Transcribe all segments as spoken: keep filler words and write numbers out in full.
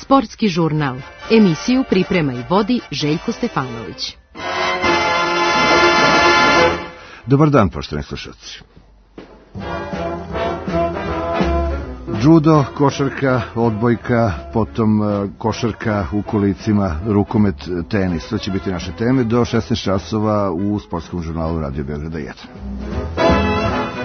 Sportski žurnal. Emisiju priprema i vodi Željko Stefanović. Dobar dan, poštovani slušalci. Judo, košarka, odbojka, potom košarka u kolicima, rukomet, tenis. To će biti naše teme do šesnaest časova u Sportskom žurnalu Radio Beograda jedan.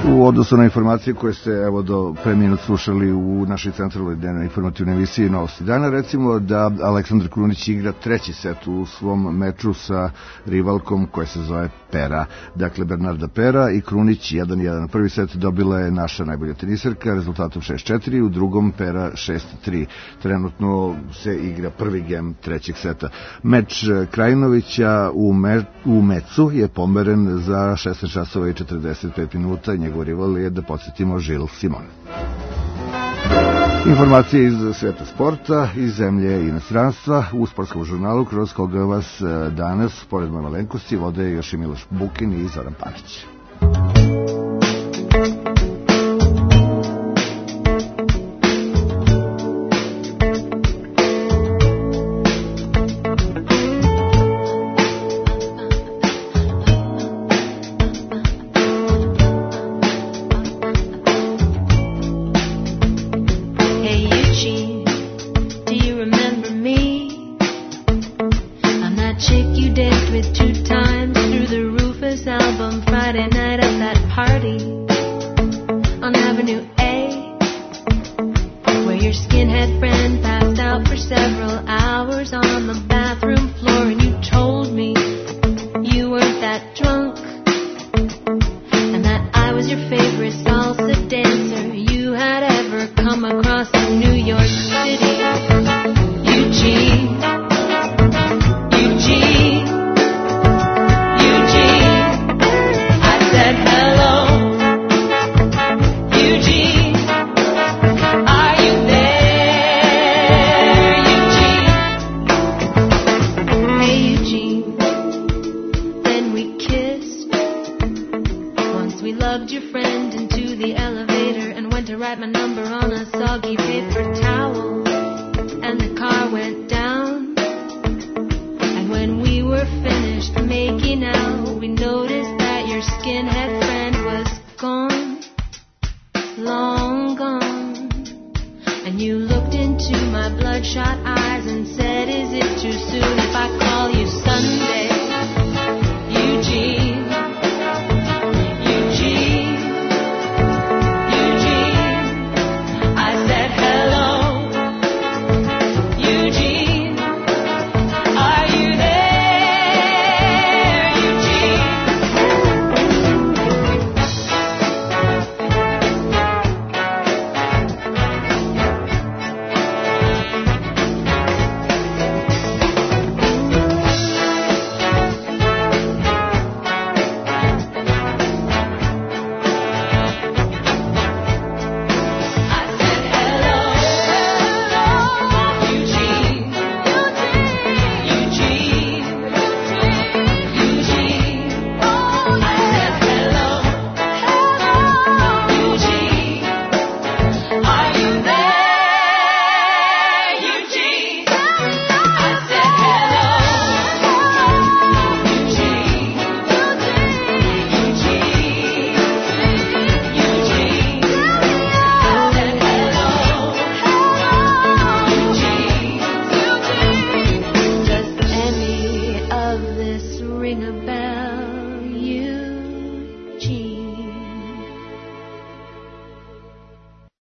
U odnosu na informacije koje ste evo do pre minut slušali u našoj centralnoj dnevnoj informativnoj emisiji Novosti dana, recimo da Aleksandar Krunić igra treći set u svom meču sa rivalkom koja se zove Pera. Dakle, Bernarda Pera i Krunić jedan jedan. Prvi set dobila je naša najbolja teniserka rezultatom šest četiri, u drugom Pera šest tri. Trenutno se igra prvi gem trećeg seta. Meč Krajinovića u, me, u Mecu je pomeren za šesnaest časova i četrdeset pet minuta. Njegov rival je, da podsjetimo, Žil Simon. Informacije iz sveta sporta, iz zemlje i inostranstva u Sportskom žurnalu, kroz koga vas danas, pored moje malenkosti, vode još i Miloš Bukin i Zoran Panić.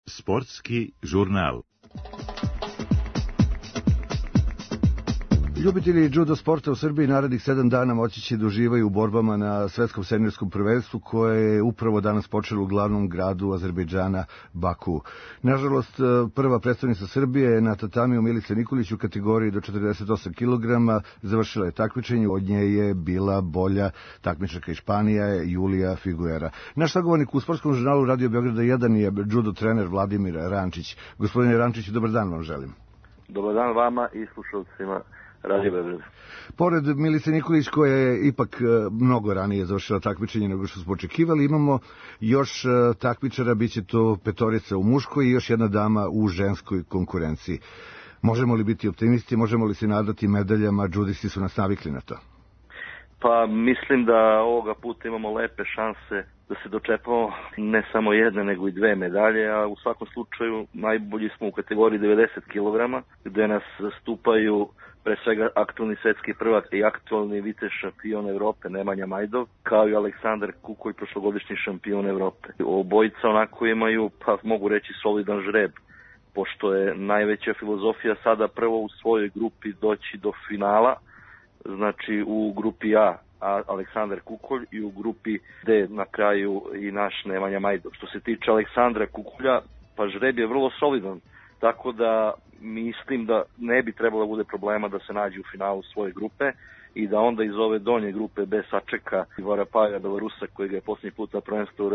Sportski žurnal. Ljubitelji judo sporta u Srbiji narednih sedam dana moći će da uživaju u borbama na svetskom seniorskom prvenstvu koje je upravo danas počelo u glavnom gradu Azerbejdžana, Baku. Nažalost, prva predstavnica Srbije je na tatamiju Milica Nikolić u kategoriji do četrdeset osam kilograma. Završila je takmičenje, od nje je bila bolja takmičarka iz Španije, Julija Figuera. Naš sagovornik u Sportskom žurnalu Radio Beograda jedan je judo trener Vladimir Rančić. Gospodine Rančić, dobar dan vam želim. Dobar dan vama i slušalcima Radio Beograd. Pored Milice Nikolić, koja je ipak mnogo ranije završila takmičenje nego što smo očekivali, imamo još takmičara, bit će to petorica u muškoj i još jedna dama u ženskoj konkurenciji. Možemo li biti optimisti, možemo li se nadati medaljama, džudisti su nas navikli na to? Pa mislim da ovoga puta imamo lepe šanse da se dočepamo ne samo jedne nego i dve medalje, a u svakom slučaju najbolji smo u kategoriji devedeset kilograma, gde nas zastupaju pre svega aktualni svetski prvak i aktualni vice šampion Evrope Nemanja Majdov, kao i Aleksandar Kukolj, prošlogodišnji šampion Evrope. Obojica onako imaju, pa mogu reći, solidan žreb, pošto je najveća filozofija sada prvo u svojoj grupi doći do finala, znači u grupi A, a Aleksandar Kukolj, i u grupi D na kraju i naš Nemanja Majdov. Što se tiče Aleksandra Kukolja, pa žreb je vrlo solidan, tako da mislim da ne bi trebalo da bude problema da se nađe u finalu svoje grupe i da onda iz ove donje grupe B sačeka Varapaja Belarusa, koji ga je posljednji put na prvenstvu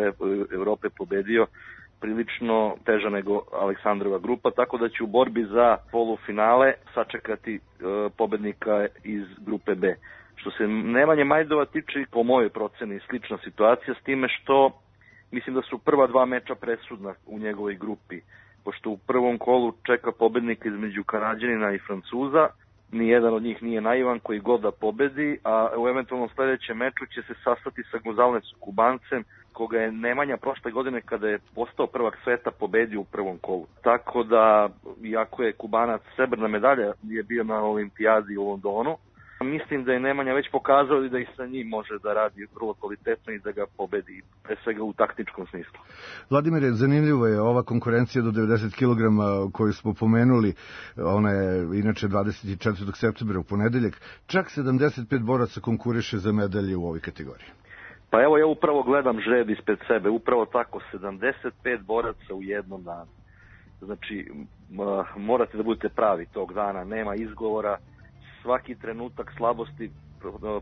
Evrope pobedio, prilično teža nego Aleksandrova grupa, tako da će u borbi za polufinale sačekati e, pobednika iz grupe B. Što se Nemanje Majdova tiče, po mojoj proceni slična situacija, s time što mislim da su prva dva meča presudna u njegovoj grupi, pošto u prvom kolu čeka pobednika između Kanađanina i Francuza, nijedan od njih nije naivan koji god da pobedi, a u eventualnom sledećem meču će se sastati sa Gonzalezom Kubancem, koga je Nemanja prošle godine kada je postao prvak sveta pobedio u prvom kolu. Tako da, iako je Kubanac srebrna medalja, je bio na olimpijadi u Londonu, mislim da je Nemanja već pokazao da i sa njim može da radi vrlo kvalitetno i da ga pobedi, pre svega u taktičkom smislu. Vladimire, zanimljivo je ova konkurencija do devedeset kilograma koju smo pomenuli, ona je inače dvadeset četvrtog septembra u ponedeljak, čak sedamdeset pet boraca konkuriše za medalje u ovoj kategoriji. Pa evo, ja upravo gledam žreb ispred sebe, upravo tako, sedamdeset pet boraca u jednom danu. Znači, morate da budete pravi tog dana, nema izgovora, svaki trenutak slabosti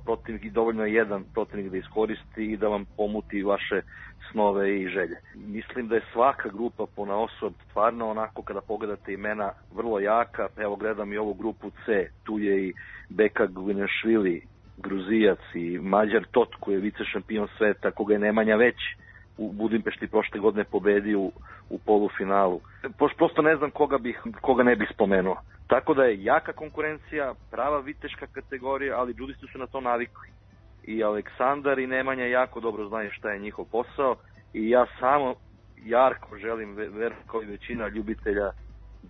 protivnik, i dovoljno je jedan protivnik da iskoristi i da vam pomuti vaše snove i želje. Mislim da je svaka grupa ponaosob stvarno onako, kada pogledate imena, vrlo jaka. Evo, gledam i ovu grupu C, tu je i Beka Gvinešvili, Gruzijac, i Mađar Tot, koji je vice šampion sveta, koga je Nemanja već u Budimpešti prošle godine pobedio u, u polufinalu. Prosto ne znam koga, bih, koga ne bih spomenuo. Tako da je jaka konkurencija, prava viteška kategorija, ali džudisti su na to navikli. I Aleksandar i Nemanja jako dobro znaju šta je njihov posao i ja samo jarko želim, ver kao i većina ljubitelja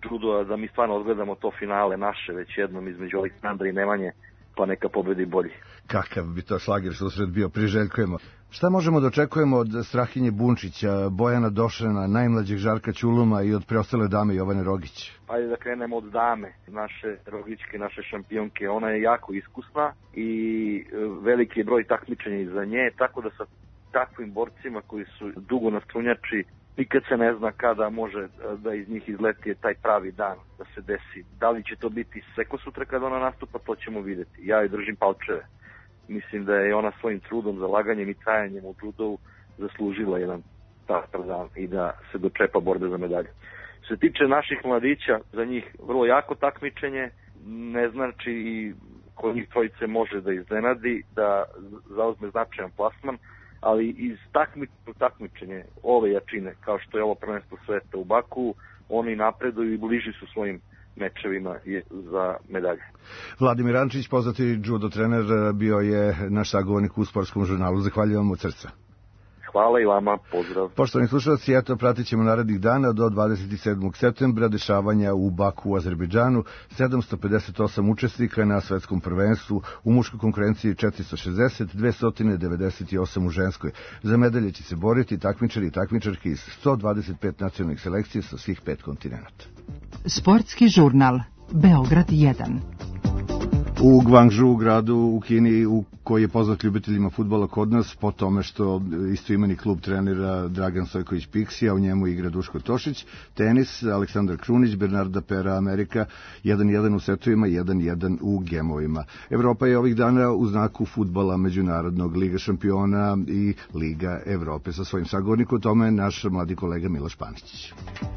džudoa, da mi stvarno odgledamo to finale naše već jednom između Aleksandra i Nemanje, pa neka pobedi bolji. Kakav bi to šlager susret bio, priželjkujemo. Šta možemo da očekujemo od Strahinje Bunčića, Bojana Došana, najmlađeg Žarka Ćuluma i od preostale dame Jovane Rogić? Ajde da krenemo od dame, naše Rogićke, naše šampionke. Ona je jako iskusna i veliki je broj takmičenja iza nje, tako da sa takvim borcima koji su dugo na strunjači, nikad se ne zna kada može da iz njih izleti taj pravi dan da se desi. Da li će to biti sveko sutra kada ona nastupa, to ćemo videti. Ja joj držim palčeve. Mislim da je ona svojim trudom, zalaganjem i trajanjem u judovu zaslužila jedan takav dan i da se dočepa borbe za medalje. Što se tiče naših mladića, za njih vrlo jako takmičenje, ne znači i kod njih trojice može da iznenadi, da zauzme značajan plasman, ali iz takmičenja takmičenje ove jačine, kao što je ovo prvenstvo sveta u Baku, oni napreduju i bliži su svojim mečevima za medalje. Vladimir Ančić, poznati judo trener, bio je naš sagovornik u Sportskom žurnalu. Zahvaljujem od srca. Hvala i vama, pozdrav. Poštovani slušalci, eto, pratit ćemo narednih dana do dvadeset sedmog septembra dešavanja u Baku u Azerbejdžanu. sedamsto pedeset osam učesnika na svetskom prvenstvu, u muškoj konkurenciji četiristo šezdeset, dvesta devedeset osam u ženskoj. Za medalje će se boriti takmičari i takmičarke iz sto dvadeset pet nacionalnih selekcija sa svih pet kontinenta. Sportski žurnal Beograd jedan. U Guangzhou, gradu u Kini, u koji je poznat ljubiteljima fudbala kod nas po tome što istoimeni klub trenira Dragan Stojković Piksi, a u njemu igra Duško Tošić. Tenis, Aleksandar Krunić, Bernarda Pera Amerika, jedan jedan u setovima, jedan jedan u gemovima. Evropa je ovih dana u znaku fudbala Međunarodnog Liga šampiona i Liga Evrope. Sa svojim sagovornikom o tome naš mladi kolega Miloš Paničić.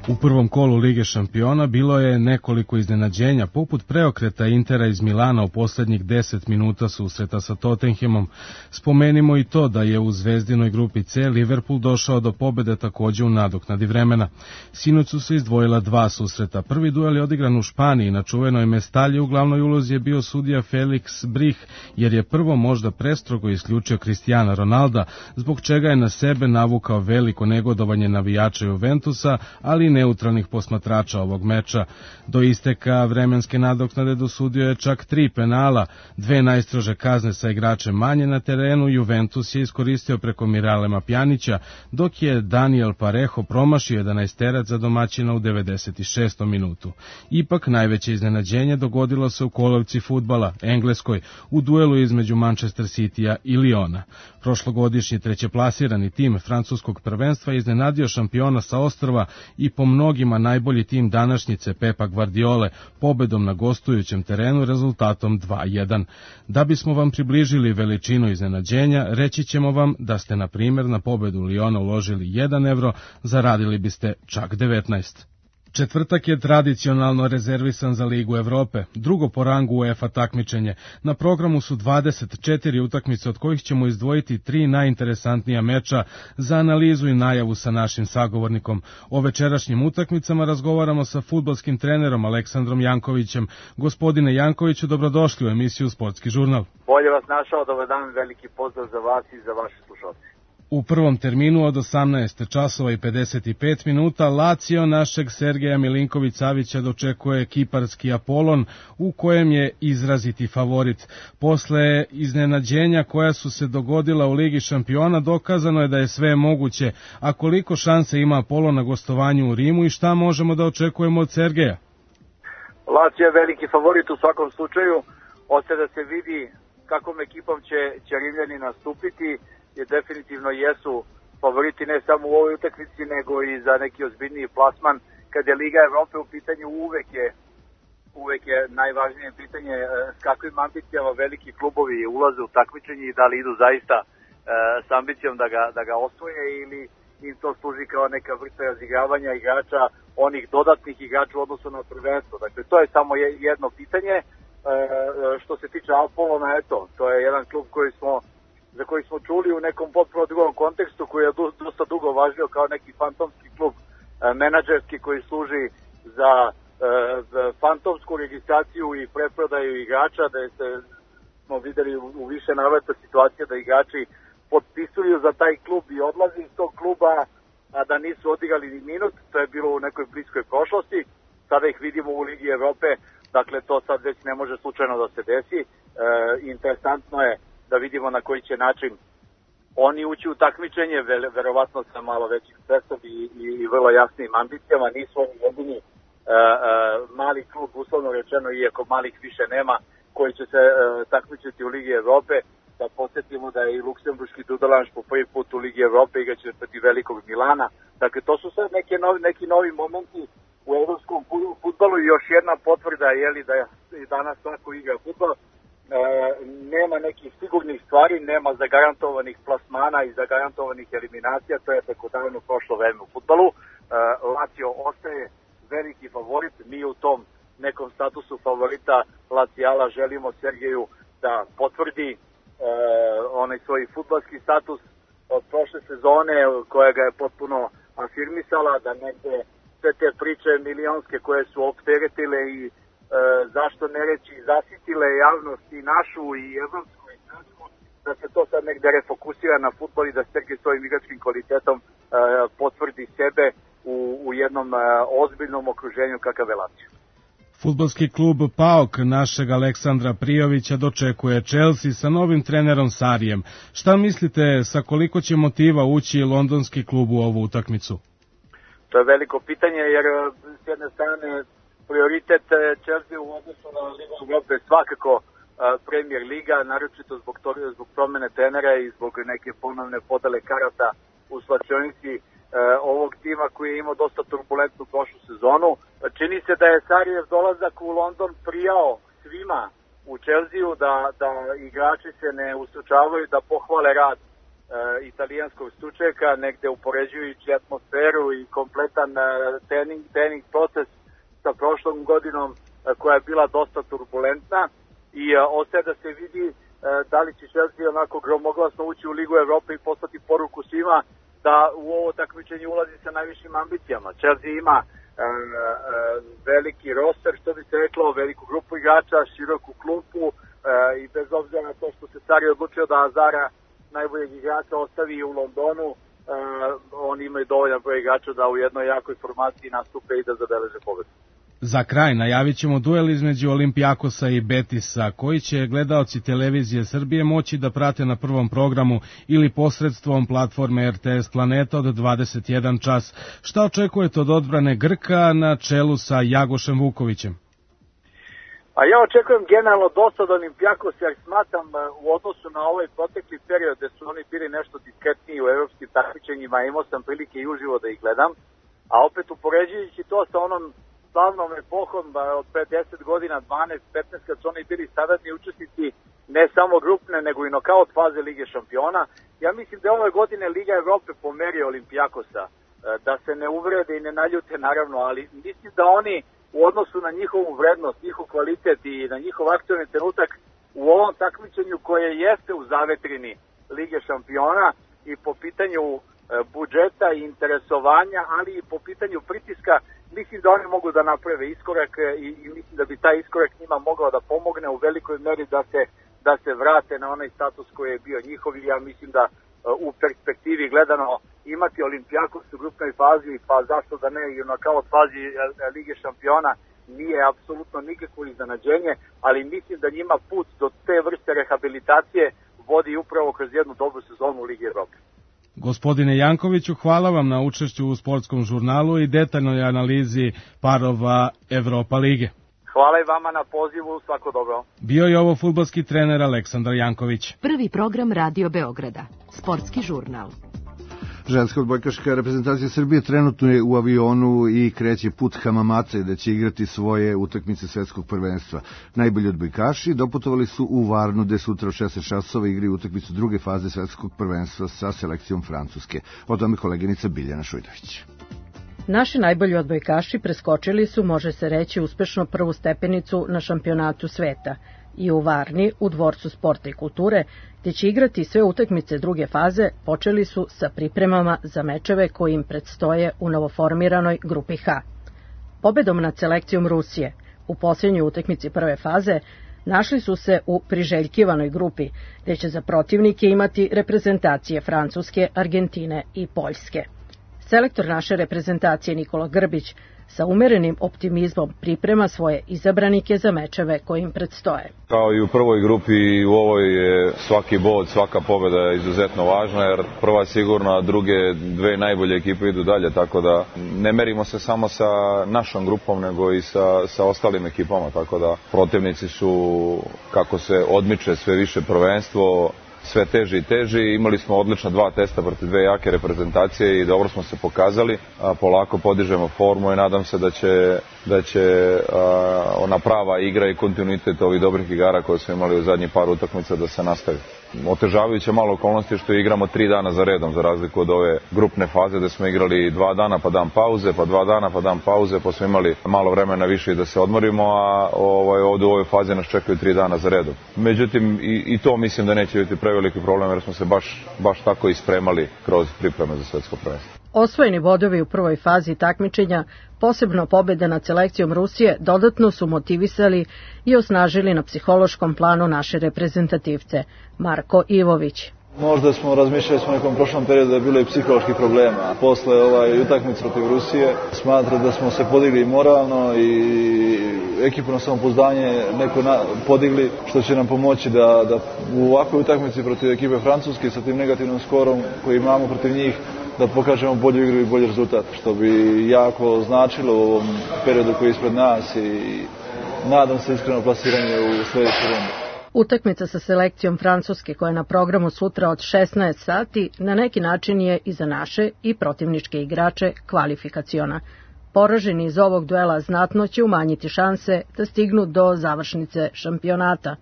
U prvom kolu Lige šampiona bilo je nekoliko iznenađenja, poput preokreta Intera iz Milana u posljednjih deset minuta susreta sa Tottenhamom. Spomenimo i to da je u zvezdinoj grupi C Liverpool došao do pobjede takođe u nadoknadi vremena. Sinoć su se izdvojila dva susreta. Prvi duel je odigran u Španiji, na čuvenoj Mestalji u glavnoj ulozi je bio sudija Felix Brih, jer je prvo možda prestrogo isključio Cristiana Ronalda, zbog čega je na sebe navukao veliko negodovanje navijača Juventusa, ali neutralnih posmatrača ovog meča. Do isteka vremenske nadoknade dosudio je čak tri penala, dve najstrože kazne sa igračem manje na terenu. Juventus je iskoristio preko Miralema Pjanića, dok je Daniel Parejo promašio jedanaesterac za domaćina u devedeset šestom minutu. Ipak najveće iznenađenje dogodilo se u kolevci fudbala, Engleskoj, u duelu između Manchester Citya i Liona. Prošlogodišnji trećeplasirani tim francuskog prvenstva iznenadio šampiona sa ostrva i po mnogima najbolji tim današnjice Pepa Guardiole pobedom na gostujućem terenu rezultatom dva jedan. Da bismo vam približili veličinu iznenađenja, reći ćemo vam da ste na primjer na pobedu Liona uložili jedan evro, zaradili biste čak devetnaest. Četvrtak je tradicionalno rezervisan za Ligu Evrope, drugo po rangu UEFA takmičenje. Na programu su dvadeset četiri utakmice, od kojih ćemo izdvojiti tri najinteresantnija meča za analizu i najavu sa našim sagovornikom. O večerašnjim utakmicama razgovaramo sa fudbalskim trenerom Aleksandrom Jankovićem. Gospodine Jankoviću, dobrodošli u emisiju Sportski žurnal. Bolje vas našao, dobar dan, veliki pozdrav za vas i za vaše slušalce. U prvom terminu od osamnaest časova i pedeset pet minuta Lazio našeg Sergeja Milinković-Savića dočekuje kiparski Apolon, u kojem je izraziti favorit. Posle iznenađenja koja su se dogodila u Ligi šampiona dokazano je da je sve moguće. A koliko šanse ima Apolon na gostovanju u Rimu i šta možemo da očekujemo od Sergeja? Lazio je veliki favorit u svakom slučaju. Ostaje da se vidi kakvom ekipom će, će Rimljani nastupiti, jer definitivno jesu favoriti ne samo u ovoj utakmici, nego i za neki ozbiljniji plasman. Kad je Liga Evrope u pitanju, uvek je, uvek je najvažnije pitanje s kakvim ambicijama veliki klubovi ulaze u takmičenje i da li idu zaista e, s ambicijom da ga, da ga osvoje ili im to služi kao neka vrsta razigravanja igrača, onih dodatnih igrača u odnosu na prvenstvo. Dakle, to je samo jedno pitanje. E, što se tiče Apolona, eto, to je jedan klub koji smo za koji smo čuli u nekom potpuno drugom kontekstu, koji je dosta dugo važio kao neki fantomski klub e, menadžerski koji služi za e, fantomsku registraciju i preprodaju igrača, da je se, smo videli u, u više navrata situacija da igrači potpisuju za taj klub i odlazi iz tog kluba, a da nisu odigrali ni minut. To je bilo u nekoj bliskoj prošlosti. Sada ih vidimo u Ligi Evrope, dakle to sad već ne može slučajno da se desi. E, interesantno je da vidimo na koji će način oni ući u takmičenje, ve, verovatno sa malo većim stresom i, i, i vrlo jasnim ambicijama. Nisu oni jedini e, e, mali klub, uslovno rečeno, iako malih više nema, koji će se e, takmičiti u Ligi Evrope. Da podsjetimo da je i luksemburški Dudelanš po prvi put u Ligi Evrope igraće protiv velikog Milana. Dakle, to su sad neke novi, neki novi momenti u evropskom fudbalu i još jedna potvrda je li da je danas svako igra fudbal. E, nema nekih sigurnih stvari, nema zagarantovanih plasmana i zagarantovanih eliminacija, to je tako davno prošlo vreme u fudbalu. E, Lazio ostaje veliki favorit, mi u tom nekom statusu favorita Laziala želimo Sergeju da potvrdi e, onaj svoj fudbalski status od prošle sezone koja ga je potpuno afirmisala, da negde sve te priče milionske koje su opteretile i E, zašto ne reći zasitile javnost i našu i evropsku i svetsku, da se to sad negde refokusira na fudbal i da Sergej svojim igračkim kvalitetom e, potvrdi sebe u, u jednom e, ozbiljnom okruženju kakav je Lazio. Fudbalski klub PAOK našeg Aleksandra Prijovića dočekuje Chelsea sa novim trenerom Sarijem. Šta mislite, sa koliko će motiva ući londonski klub u ovu utakmicu? To je veliko pitanje, jer s jedne strane prioritet Chelsea u odnosu na Ligu Evrope svakako uh, Premier Liga, naročito zbog, to, zbog promene trenera i zbog neke ponovne podele karata u slačionici uh, ovog tima koji je imao dosta turbulentnu prošlu sezonu. Čini se da je Sarijev dolazak u London prijao svima u Chelsea, da, da igrači se ne ustručavaju da pohvale rad italijanskog stručnjaka, negde upoređujući atmosferu i kompletan trening, trening proces sa prošlom godinom koja je bila dosta turbulentna i ostaje da se vidi da li će Chelsea onako gromoglasno ući u Ligu Evrope i poslati poruku svima da u ovo takmičenje ulazi sa najvišim ambicijama. Chelsea ima e, e, veliki roster, što bi se reklo, veliku grupu igrača, široku klupu e, i bez obzira na to što se Sarri odlučio da Azara, najboljeg igrača, ostavi u Londonu, e, oni imaju dovoljan broj igrača da u jednoj jakoj formaciji nastupe i da zabeleže pobedu. Za kraj najavit ćemo duel između Olimpijakosa i Betisa, koji će gledaoci televizije Srbije moći da prate na prvom programu ili posredstvom platforme R T S Planeta od dvadeset jedan čas. Šta očekujete od odbrane Grka na čelu sa Jagošem Vukovićem? A ja očekujem generalno dosta od Olimpijakosa, jer smatram u odnosu na ovaj protekli period gde su oni bili nešto diskretniji u evropskim takmičenjima, imao sam prilike i uživo da ih gledam, a opet upoređujući to sa onom slavnom epohom od pre deset godina, dvanaest petnaest, kad su oni bili saradni učesnici ne samo grupne, nego i nokaut faze Lige šampiona. Ja mislim da je ove godine Liga Evrope pomerio Olimpijakosa, da se ne uvrede i ne naljute naravno, ali mislim da oni u odnosu na njihovu vrednost, njihov kvalitet i na njihov aktualni trenutak u ovom takmičenju koje jeste u zavetrini Lige šampiona i po pitanju budžeta i interesovanja, ali i po pitanju pritiska, mislim da oni mogu da naprave iskorak i, i mislim da bi taj iskorak njima mogao da pomogne u velikoj meri da se, da se vrate na onaj status koji je bio njihov i ja mislim da u perspektivi gledano imati Olimpijakos u grupnoj fazi, pa zašto da ne i u nokaut fazi Lige šampiona nije apsolutno nikakvo iznenađenje, ali mislim da njima put do te vrste rehabilitacije vodi upravo kroz jednu dobru sezonu u Ligi Evrope. Gospodine Jankoviću, hvala vam na učešću u sportskom žurnalu i detaljnoj analizi parova Evropa lige. Hvala i vama na pozivu, svako dobro. Bio je ovo fudbalski trener Aleksandar Janković. Prvi program Radio Beograda, sportski žurnal. Ženska odbojkaška reprezentacija Srbije trenutno je u avionu i kreće put Hamamaca da će igrati svoje utakmice svetskog prvenstva. Najbolji odbojkaši doputovali su u Varnu gde sutra od šesnaest časova igraju utakmicu druge faze svetskog prvenstva sa selekcijom Francuske. O tome koleginica Biljana Šujdović. Naši najbolji odbojkaši preskočili su, može se reći, uspešno prvu stepenicu na šampionatu sveta i u Varni, u Dvorcu sporta i kulture, gde će igrati sve utakmice druge faze, počeli su sa pripremama za mečeve koji im predstoje u novoformiranoj grupi H. Pobedom nad selekcijom Rusije u posljednjoj utakmici prve faze našli su se u priželjkivanoj grupi, gde će za protivnike imati reprezentacije Francuske, Argentine i Poljske. Selektor naše reprezentacije Nikola Grbić sa umerenim optimizmom priprema svoje izabranike za mečeve koji im predstoje. Kao i u prvoj grupi, i u ovoj je svaki bod, svaka pobjeda je izuzetno važna, jer prva je sigurno, a druge dve najbolje ekipe idu dalje, tako da ne merimo se samo sa našom grupom, nego i sa, sa ostalim ekipama, tako da protivnici su, kako se odmiče sve više prvenstvo, sve teži i teži. Imali smo odlična dva testa protiv dve jake reprezentacije i dobro smo se pokazali. A polako podižemo formu i nadam se da će, da će a, ona prava igra i kontinuitet ovih dobrih igara koje smo imali u zadnjih par utakmica da se nastavi. Otežavajuće malo okolnosti što igramo tri dana za redom, za razliku od ove grupne faze da smo igrali dva dana pa dan pauze, pa dva dana pa dan pauze, pa smo imali malo vremena više da se odmorimo, a ovaj, ovdje u ovoj fazi nas čekaju tri dana za redom. Međutim, i, i to mislim da neće biti preveliki problem jer smo se baš, baš tako ispremali kroz pripreme za svetsko prvenstvo. Osvojeni bodovi u prvoj fazi takmičenja, posebno pobjeda nad selekcijom Rusije, dodatno su motivisali i osnažili na psihološkom planu naše reprezentativce. Marko Ivović. Možda smo razmišljali smo u nekom prošlom periodu da je bilo i psiholoških problema. Posle ovaj utakmice protiv Rusije smatram da smo se podigli moralno i ekipno samopouzdanje neko na, podigli, što će nam pomoći da, da u ovakvoj utakmici protiv ekipe Francuske sa tim negativnom skorom koji imamo protiv njih da pokažemo bolju igru i bolji rezultat, što bi jako značilo u ovom periodu koji je ispred nas i nadam se iskreno plasiranje u sljedeću rundu. Utakmica sa selekcijom Francuske koja je na programu sutra od šesnaest sati na neki način je i za naše i protivničke igrače kvalifikaciona. Poraženi iz ovog duela znatno će umanjiti šanse da stignu do završnice šampionata.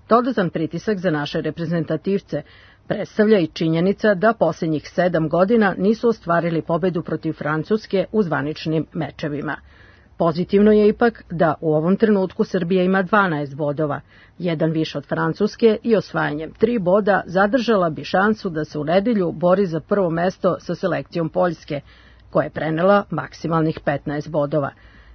Dodatan pritisak za naše reprezentativce Predstavlja i činjenica da posljednjih sedam godina nisu ostvarili pobedu protiv Francuske u zvaničnim mečevima. Pozitivno je ipak da u ovom trenutku Srbija ima dvanaest bodova, jedan više od Francuske i osvajanjem tri boda zadržala bi šansu da se u nedelju bori za prvo mesto sa selekcijom Poljske, koja je prenela maksimalnih petnaest bodova.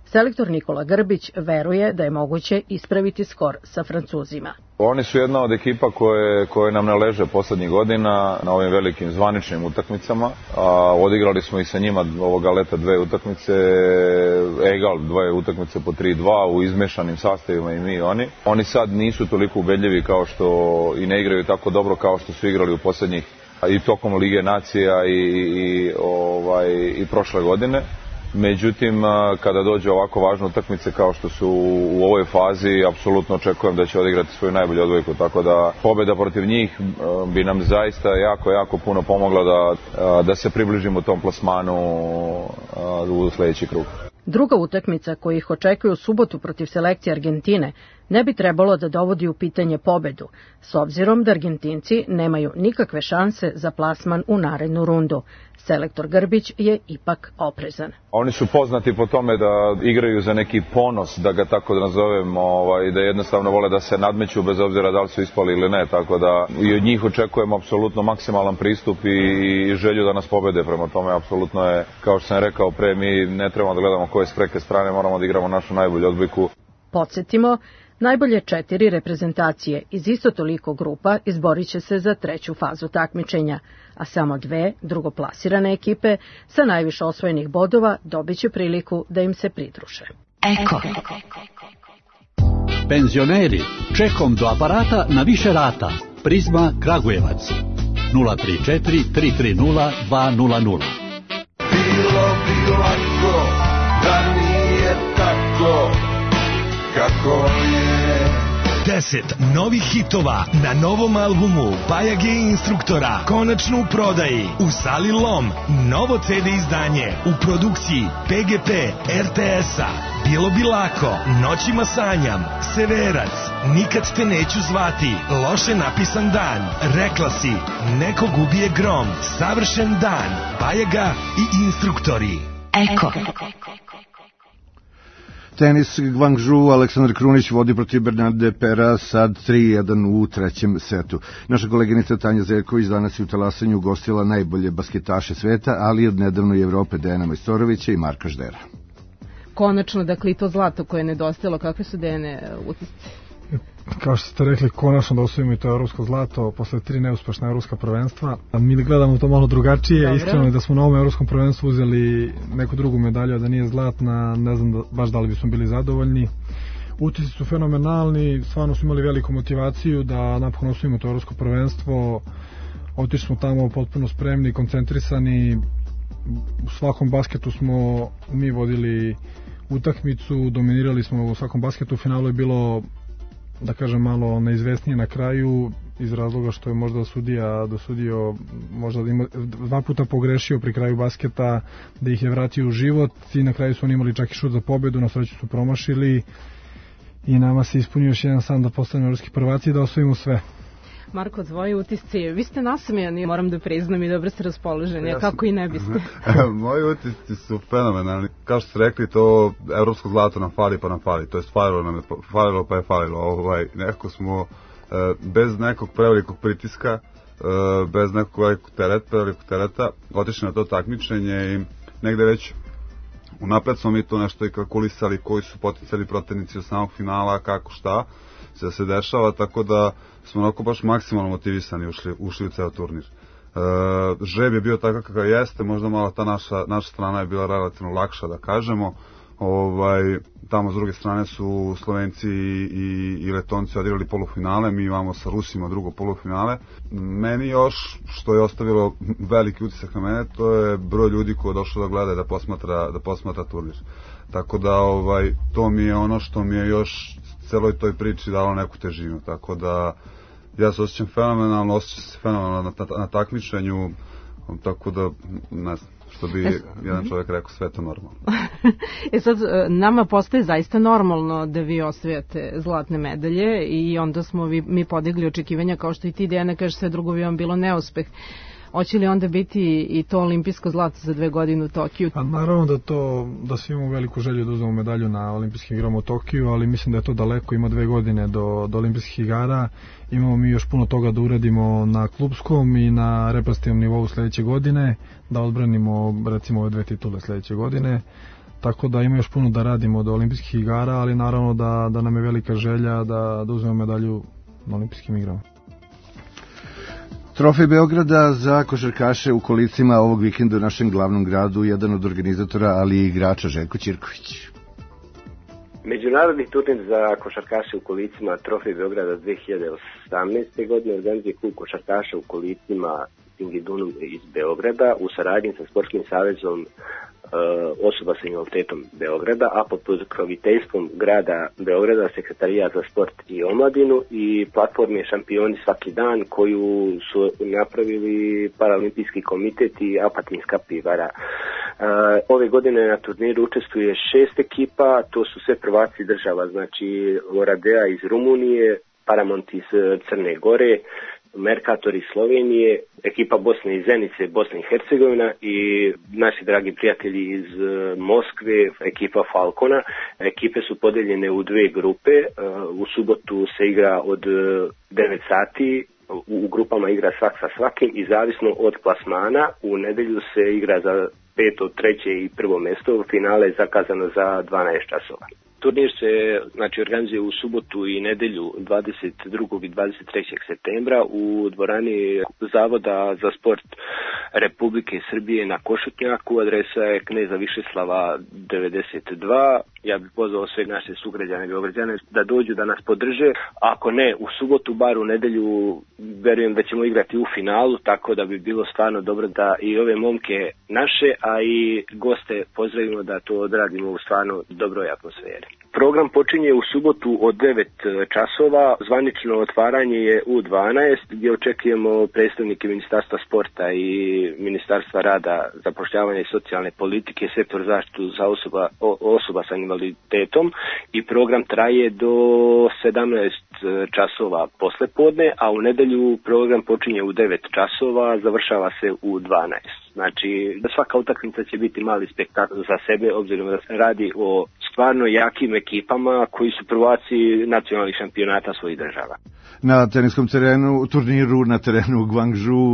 Selektor Nikola Grbić veruje da je moguće ispraviti skor sa Francuzima. Oni su jedna od ekipa koje, koje nam ne leže poslednjih godina na ovim velikim zvaničnim utakmicama. A, odigrali smo i sa njima ovoga leta dve utakmice, egal dve utakmice po tri dva u izmešanim sastavima i mi i oni. Oni sad nisu toliko ubedljivi kao što i ne igraju tako dobro kao što su igrali u poslednjih i tokom Lige nacija i, i, ovaj, i prošle godine. Međutim, kada dođe ovako važne utakmice kao što su u ovoj fazi, apsolutno očekujem da će odigrati svoju najbolju odbojku, tako da pobjeda protiv njih bi nam zaista jako, jako puno pomogla da, da se približimo tom plasmanu u sljedeći krug. Druga utakmica koja ih očekuje u subotu protiv selekcije Argentine ne bi trebalo da dovodi u pitanje pobedu, s obzirom da Argentinci nemaju nikakve šanse za plasman u narednu rundu. Selektor Grbić je ipak oprezan. Oni su poznati po tome da igraju za neki ponos, da ga tako nazovem, ovaj, da jednostavno vole da se nadmeću bez obzira da li su ispali ili ne, tako da i od njih očekujemo apsolutno maksimalan pristup i, i želju da nas pobede. Prema tome, apsolutno je, kao što sam rekao pre, mi ne trebamo da gledamo koje s preke strane, moramo da igramo našu najbolju odbojku. Podsjetimo, najbolje četiri reprezentacije iz isto toliko grupa izborit će se za treću fazu takmičenja, a samo dve drugoplasirane ekipe sa najviše osvojenih bodova dobit će priliku da im se pridruže. Eko. Penzioneri, čekom do aparata na više rata. Prizma Kragujevac. nula tri četiri tri tri nula dva nula nula. Bilo bi lako da nije tako kako je. Deset novih hitova na novom albumu Bajage instruktora konačno u prodaji u Sali Lom. Novo ce de izdanje u produkciji pe ge pe er te es-a. Bilo bi lako, Noćima sanjam, Severac, Nikad te neću zvati, Loše napisan dan, Rekla si, Neko ubije grom, Savršen dan, Bajaga i instruktori. Eko. Tenis Guangzhou, Aleksandar Krunić vodi protiv Bernarde Pera sad tri jedan u trećem setu. Naša koleginica Tanja Zeljković danas je u talasanju ugostila najbolje basketaše sveta, ali od nedavno i Evrope Dejana Majstorovića i Marka Ždera. Konačno, dakle, i to zlato koje je nedostajalo, kakve su Dejane utisci? Kao što ste rekli, konačno da osvojimo i to evropsko zlato posle tri neuspešna evropska prvenstva. Mi gledamo to malo drugačije. Dobre. Iskreno je da smo na ovom evropskom prvenstvu uzeli neku drugu medalju, a da nije zlatna, ne znam da, baš da li bismo bili zadovoljni. Utisci su fenomenalni, stvarno smo imali veliku motivaciju da napokon osvojimo to evropsko prvenstvo. Otišli smo tamo potpuno spremni, koncentrisani. U svakom basketu smo mi vodili utakmicu, dominirali smo u svakom basketu. U finalu je bilo, da kažem, malo neizvesnije na kraju iz razloga što je možda sudija dosudio, možda ima, dva puta pogrešio pri kraju basketa, da ih je vratio u život i na kraju su oni imali čak i šut za pobedu, na sreću su promašili i nama se ispunio još jedan san da postanemo evropski prvaci i da osvojimo sve. Marko, tvoji utisci, vi ste nasmejani, moram da priznam, i dobro ste raspoloženi, ja kako i ne biste. Moji utisci su fenomenalni. Kao što ste rekli, to evropsko zlato nam fali pa nam fali, to je falilo, nam je, falilo pa je falilo. Ovaj, nekako smo bez nekog prevelikog pritiska, bez nekog velikog tereta, prevelikog tereta, otišli na to takmičenje i negde već unapred smo mi to nešto i kalkulisali, koji su potencijalni protivnici od samog finala, kako šta se se dešava, tako da smo onako baš maksimalno motivisani ušli, ušli u ceo turnir. E, žreb je bio takav kakav jeste, možda malo ta naša, naša strana je bila relativno lakša, da kažemo. Ovaj, tamo s druge strane su Slovenci i, i, i Letonci odigrali polufinale, mi imamo sa Rusima drugo polufinale. Meni još, što je ostavilo veliki utisak na mene, to je broj ljudi koji je došao da gleda, da posmatra, da posmatra turnir. Tako da ovaj, to mi je ono što mi je još celoj toj priči dalo neku težinu, tako da ja se osjećam fenomenalno, osjećam se fenomenalno na, na, na takmičenju. tako da, ne znam, što bi jedan čovjek rekao, sve to normalno. E sad, nama postaje zaista normalno da vi osvijate zlatne medalje i onda smo vi, mi podigli očekivanja, kao što i ti, Dejana, kaže, sve drugo bi vam bilo neuspeh. Hoće li onda biti i to olimpijsko zlato za dve godine u Tokiju? Pa naravno da to, da svi imamo veliku želju da uzmemo medalju na olimpijskim igrama u Tokiju, ali mislim da je to daleko, ima dve godine do, do olimpijskih igara. Imamo mi još puno toga da uradimo na klupskom i na reprezentativnom nivou sledeće godine, da odbranimo recimo ove dve titule sledeće godine. Tako da ima još puno da radimo do olimpijskih igara, ali naravno da, da nam je velika želja da, da uzmemo medalju na olimpijskim igrama. Trofej Beograda za košarkaše u kolicima ovog vikenda u našem glavnom gradu, jedan od organizatora, ali i igrača, Željko Ćirković. Međunarodni turnir za košarkaše u kolicima Trofej Beograda dve hiljade osamnaeste. godine organizuje klub košarkaša u kolicima Singidunum iz Beograda u saradnji sa Sportskim savezom osoba sa invaliditetom Beograda, a pod pokroviteljstvom grada Beograda, Sekretarijat za sport i omladinu i platforme Šampioni svaki dan koju su napravili Paraolimpijski komitet i Apatinska pivara. Ove godine na turniru učestvuje šest ekipa, to su sve prvaci država, znači Oradea iz Rumunije, Paramount iz Crne Gore, Mercator iz Slovenije, ekipa Bosne i Zenice, Bosna i Hercegovina i naši dragi prijatelji iz Moskve, ekipa Falcona. Ekipe su podeljene u dve grupe, u subotu se igra od devet sati, u grupama igra svak sa svakim i zavisno od plasmana u nedelju se igra za peto, treće i prvo mesto, finale je zakazano za dvanaest časova. Turnir se znači, organizuje u subotu i nedelju dvadeset drugog i dvadeset trećeg septembra u dvorani Zavoda za sport Republike Srbije na Košutnjaku. Adresa je Kneza Višeslava devedeset dva. Ja bih pozvao sve naše sugrađane i Beograđane da dođu da nas podrže. Ako ne, u subotu, bar u nedelju, verujem da ćemo igrati u finalu, tako da bi bilo stvarno dobro da i ove momke naše, a i goste pozdravimo da to odradimo u stvarno dobroj atmosferi. Program počinje u subotu od devet časova, zvanično otvaranje je u dvanaest gdje očekujemo predstavnike Ministarstva sporta i Ministarstva rada, zapošljavanja i socijalne politike, sektor zaštitu za osoba, osoba sa invaliditetom i program traje do sedamnaest časova poslepodne, a u nedelju program počinje u devet časova, završava se u dvanaest. Znači, svaka utakmica će biti mali spektakl za sebe, obzirom da se radi o stvarno jakim ekipama koji su prvaci nacionalnih šampionata svojih država. Na teniskom terenu, turniru na terenu u Guangzhou,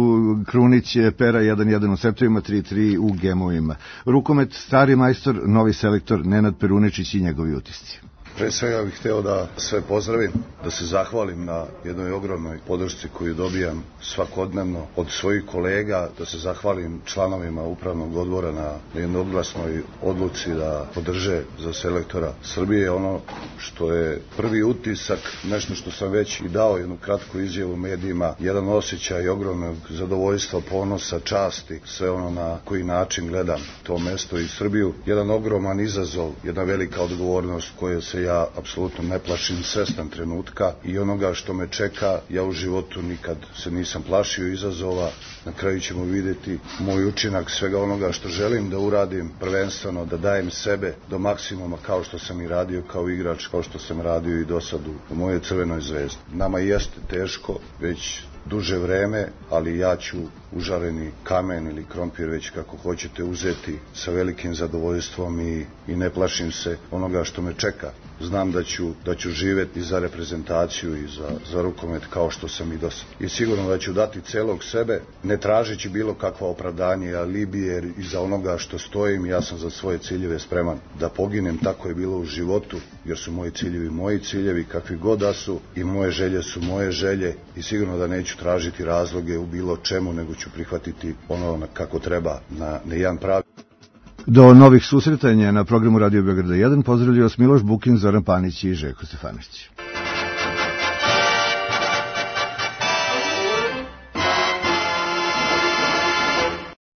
Krunić je pera jedan jedan u setovima, tri tri u gemovima. Rukomet, stari majstor, novi selektor Nenad Perunečić i njegovi utisci. Pre svega bih hteo da sve pozdravim, da se zahvalim na jednoj ogromnoj podršci koju dobijam svakodnevno od svojih kolega, da se zahvalim članovima upravnog odbora na jednoglasnoj odluci da podrže za selektora Srbije. Ono što je prvi utisak, nešto što sam već i dao jednu kratku izjavu u medijima, jedan osjećaj ogromnog zadovoljstva, ponosa, časti, sve ono na koji način gledam to mesto i Srbiju. Jedan ogroman izazov, jedna velika odgovornost koje se ja apsolutno ne plašim, svestan trenutka i onoga što me čeka. Ja u životu nikad se nisam plašio izazova. Na kraju ćemo vidjeti moj učinak svega onoga što želim da uradim, prvenstveno da dajem sebe do maksimuma kao što sam i radio kao igrač, kao što sam radio i do sad u mojoj Crvenoj zvezdi. Nama jeste teško već duže vreme, ali ja ću užareni kamen ili krompir, već kako hoćete, uzeti sa velikim zadovoljstvom i, i ne plašim se onoga što me čeka. Znam da ću, da ću živeti za reprezentaciju i za, za rukomet kao što sam i do sad. I sigurno da ću dati celog sebe, ne tražeći bilo kakva opravdanje, alibi, jer iza onoga što stojim, ja sam za svoje ciljeve spreman da poginem. Tako je bilo u životu, jer su moji ciljevi moji ciljevi, kakvi god da su, i moje želje su moje želje i sigurno da neću tražiti razloge u bilo čemu, nego ću prihvatiti ono kako treba, na, na jedan pravi. Do novih susretanja na programu Radio Beograda jedan pozdravljaju vas Miloš Bukin, Zoran Panić i Željko Stefanović.